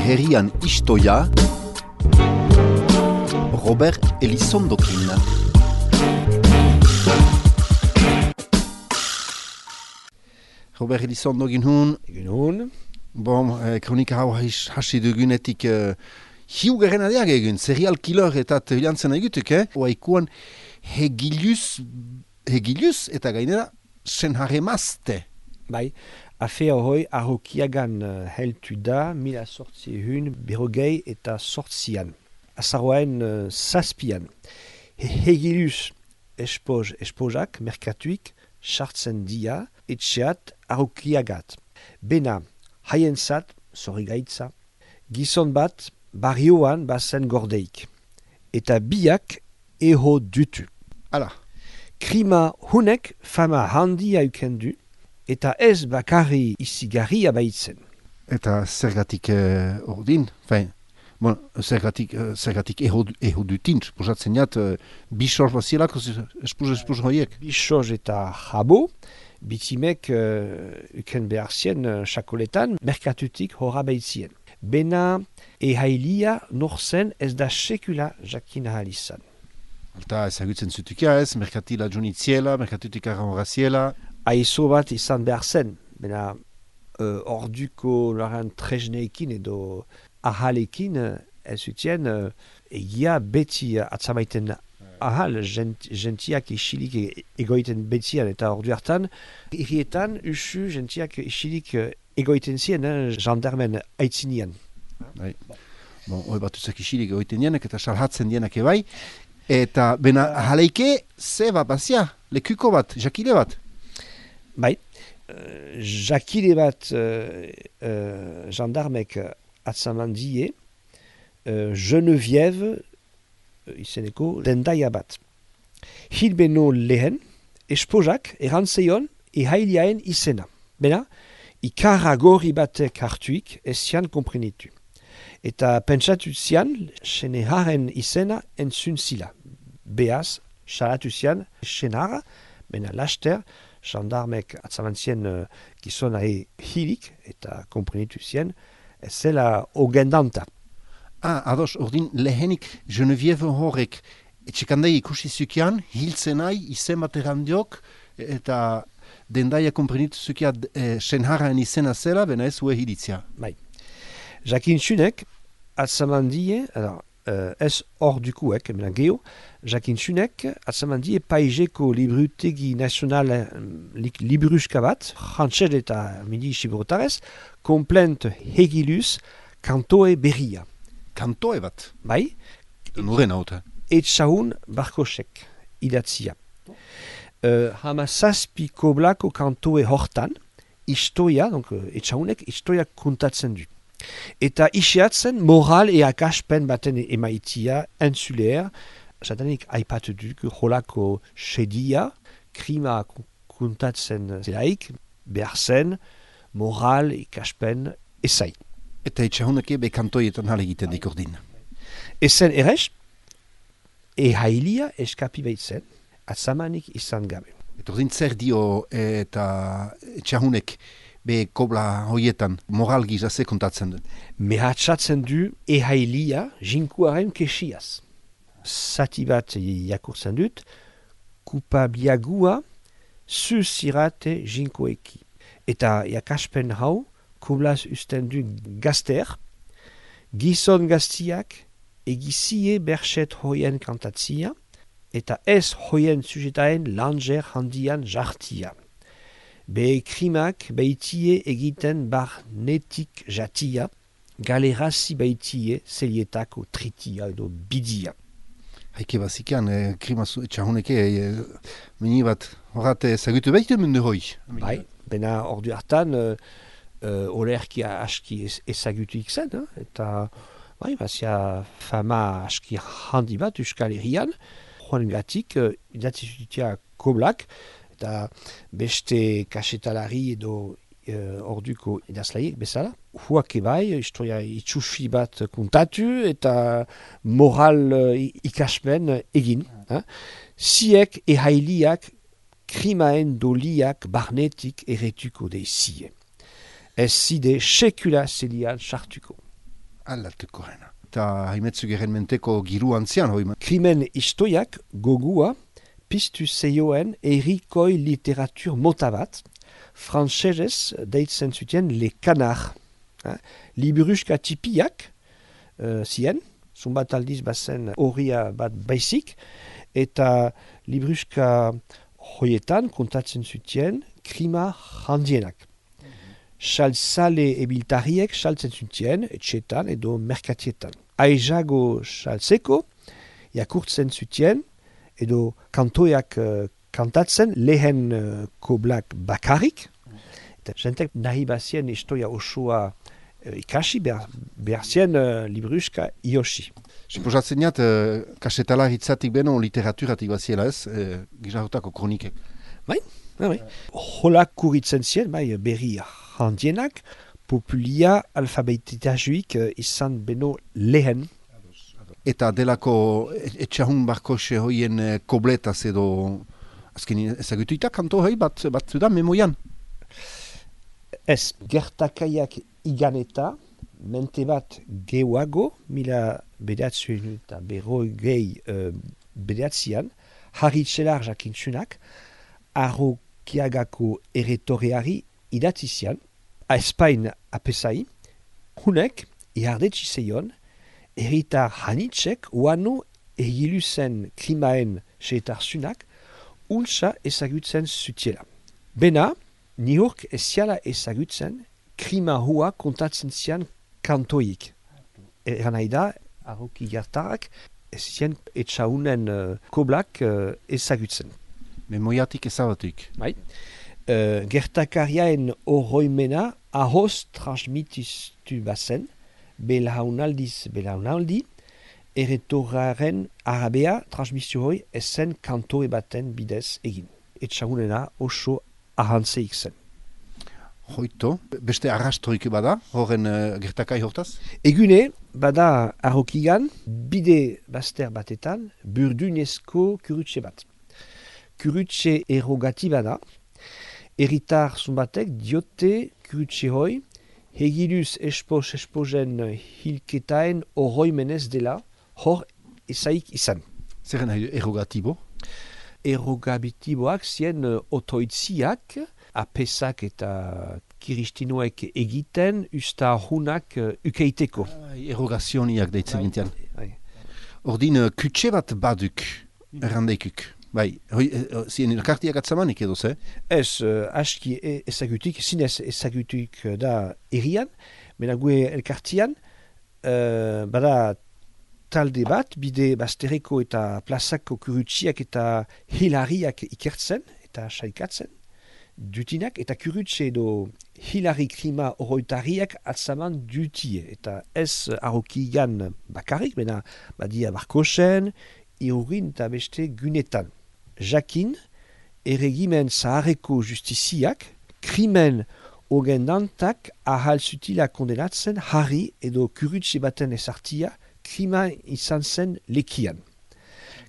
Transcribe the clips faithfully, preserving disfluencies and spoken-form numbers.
herrian istoia, Robert Elizondokin. Robert Elizondokin hun. Egun hun. Bon, eh, kronika hau hasi dugunetik eh, hiugaren adiak egun, serial killer eta tebilantzen egutuk, eh? Oaikuan hegiluz, hegiluz eta gainera senhare mazte. Bai, afea hoi arrokiagan uh, heltu da mila sortziehun berrogei eta sortzian. Azaroaen uh, zazpian. He hegiluz espoz, espozak, merkatuik, sartzen dia, etxeat arrokiagat. Bena, haientzat, zorri gaitza, gizon bat barrioan bazen gordeik. Eta biak eho dutu. Hala. Krima hunek fama handia ukendu, eta ez bakarri izigarria baitzen. Eta zergatik eh, ordin, fein, bon, zergatik, eh, zergatik eho, eho dutin, esposatzen jat, eh, bisor bazielako espos, espos hoiek. Bisoz eta jabo, bitimek uh, uken behar zien uh, sakoletan, merkatutik horra baitzien. Bena ehailia norzen ez da sekula jakin ahal izan. Alta ezagutzen zutukia ez, merkatila jonitziela, merkatutik arraziela. Aizo bat izan behar zen, bena uh, orduko laren tresneekin edo ahalekin uh, ez utien uh, egia beti uh, atzamaiten ahal, gent, gentiak isilik egoiten betzian eta ordu hartan, irrietan usu gentiak isilik egoiten zien, eh, jandarmen aitzinian. Bai. Bon, hoi batuzak isilik egoiten dienak eta salhatzen dienak ebai. Eta bena ahaleike ze bat bazia, lekuko bat, jakile bat. Bai, uh, jakile bat uh, uh, jandarmek atzaman die, uh, Geneviève izeneko dendaia bat. Hilbeno lehen, espozak erantzeion ehailiaen izena. Bena, ikarra gorri batek hartuik ezian komprenitu. Eta pentsatu zian, seneharen izena entzun zila. Beaz, salatu zian senara, bena laster, jandarmek atzamantzien uh, gizona e hilik, eta komprenitu zian, ez zela ogendanta. Ah, ados, ordin lehenik Geneviève horrek etxekandai ikusi zukian, hiltzen nahi, izen bat erandiok, eta dendaia komprenitu zukia eh, senhararen izena zela, bena ez ue hilitzia. Bai. Jakin txunek, atzamandie, alors, uh, ez hor dukuek, emena geho, jakin txunek, atzamandie paizeko librutegi nazional li, libruska bat, frantxed eta midi xibrotarez, komplent hegiluz, kantoe berria. Kantoe bat? Bai. Nuren hauta. Etxahun barkosek idatzia. Uh, hama zazpi koblako kantoe hortan, istoia, donc etxahunek istoia kontatzen du. Eta isiatzen moral e akaspen baten emaitia entzuleer, zatanik aipatu duk, holako sedia, krima kontatzen zelaik, behar zen, moral e akaspen ezai. Eta etxahuneke be kantoietan hale egiten dikordin. Ezen erez, ehailia eskapi baitzen, atzamanik izan gabe. Eta ordin zer dio eta etxahunek be kobla hoietan moral gizaze kontatzen du? Mehatxatzen du ehailia jinkuaren kesiaz. Zati bat jakurtzen dut, kupabiagua zuzirate jinkoeki. Eta jakaspen hau, koblaz usten du gazter, gizon gaztiak egizie berxet hoien kantatzia, eta ez hoien sujetaen langer handian jartia. Be krimak baitie egiten barnetik jatia, galerazi baitie zelietako tritia edo bidia. Haike bazikian, eh, krima etxahuneke, eh, mini bat horrate zagutu behitu mundu hoi. Bai, bena ordu hartan, uh, Uh, olerkia aski ezagutuik zen, eh? Eta bai, bazia fama aski handi bat Euskal Herrian, joan gatik, uh, idatzizutia koblak, eta beste kasetalari edo uh, orduko idazlaiek bezala. Huak ebai, historia itxufi bat kontatu, eta moral uh, ikasmen egin. Eh? Ziek ehailiak krimaen doliak barnetik erretuko de zie. Ez zide sekula zelian sartuko. Aldatuko gana. Eta haimetzu geren menteko giru antzian, hoi. Krimen istoiak gogua piztu zeioen erikoi literatur mota bat, frantsesez deitzen zuten le canard. Eh? Liburuska tipiak uh, zien, zunbat aldiz bazen horria bat baizik, eta liburuska hoietan kontatzen zuten krima handienak. Saltzale ebiltariek saltzen zuten etxetan edo merkatietan. Aizago saltzeko, jakurtzen zuten edo kantoiak uh, kantatzen lehen uh, koblak bakarrik. Eta jentek nahi bazien historia osoa uh, ikasi behar, behar zien uh, liburuska iosi. Suposatzen jat, uh, kasetala hitzatik beno literaturatik baziela ez, uh, gizarotako kronikek. Bai, bai, bai. Holak kuritzen zien, bai, berri handienak, populia alfabetitajuik uh, izan beno lehen. Eta delako etxahun barkose hoien uh, kobletaz edo azken ezagutuita kanto hoi bat, bat da memoian. Ez, gertakaiak iganeta, mente bat gehuago, mila bedatzuen eta berroi gehi uh, bedatzian, Harri Txelar jakintzunak, Arrokiagako erretoreari idatzizian, a Espain apesai, hunek, iardetsi zeion, erritar hanitzek uanu egilu zen krimaen seetarzunak, ulsa ezagutzen zutiela. Bena, nihurk eziala ezagutzen, krima hua kontatzen zian kantoik. Eran nahi da, arroki jartarak, ez zien etxaunen uh, koblak uh, ezagutzen. Memoiatik ezabatuik. Bai. Uh, gertakariaen oroimena ahoz transmitistu bazen, belaunaldiz belaunaldi, erretoraren arabea transmisio hoi ezen kantoe baten bidez egin. Etxagunena oso ahantzeik zen. Hoito, beste arrastoik bada, horren uh, gertakai hortaz? Egune, bada Arrokigan, bide bazter batetan, burdunezko kurutxe bat. Kurutxe errogatiba da, erritar zunbatek diote kurutxe hoi, hegiluz espos esposen hilketaen oroimenez dela, hor ezaik izan. Zer nahi errogatibo? Errogabitiboak zien uh, otoitziak, apesak eta kiristinoek egiten, usta hunak uh, ukeiteko. Errogazioniak deitzen gintian. Ordin, uh, kutxe bat baduk, errandeikuk. Bai, hoi, uh, zien elkartiak atzamanik edo, ze? Ez, uh, aski e, ezagutuik, zinez ezagutuik da erian, menague elkartian, uh, bada talde bat, bide baztereko eta plazako kurutxiak eta hilariak ikertzen, eta saikatzen, dutinak, eta kurutxe edo hilari krima oroitariak atzaman dutie, eta ez Arrokigan bakarrik, bena badia Barkosen, Irurin eta beste gunetan. Jakin, erregimen zaharreko justiziak, krimen ogendantak ahal zutila kondenatzen harri edo kurutxe baten ezartia krima izan zen lekian.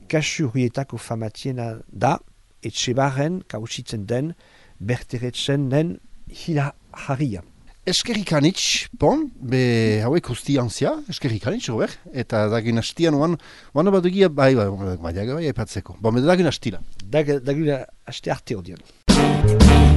Kasu horietako famatiena da, etxebarren kausitzen den, berteretzen den hila harria. Eskerrik anitz, bon, be hauek usti antzia, eskerrik anitz, Robert, eta dagin hastian oan, oan bat dugia, bai, bai, bai, bai, bai, bai, aipatzeko. Bon, dagin hastila. Dagin haste arte odian.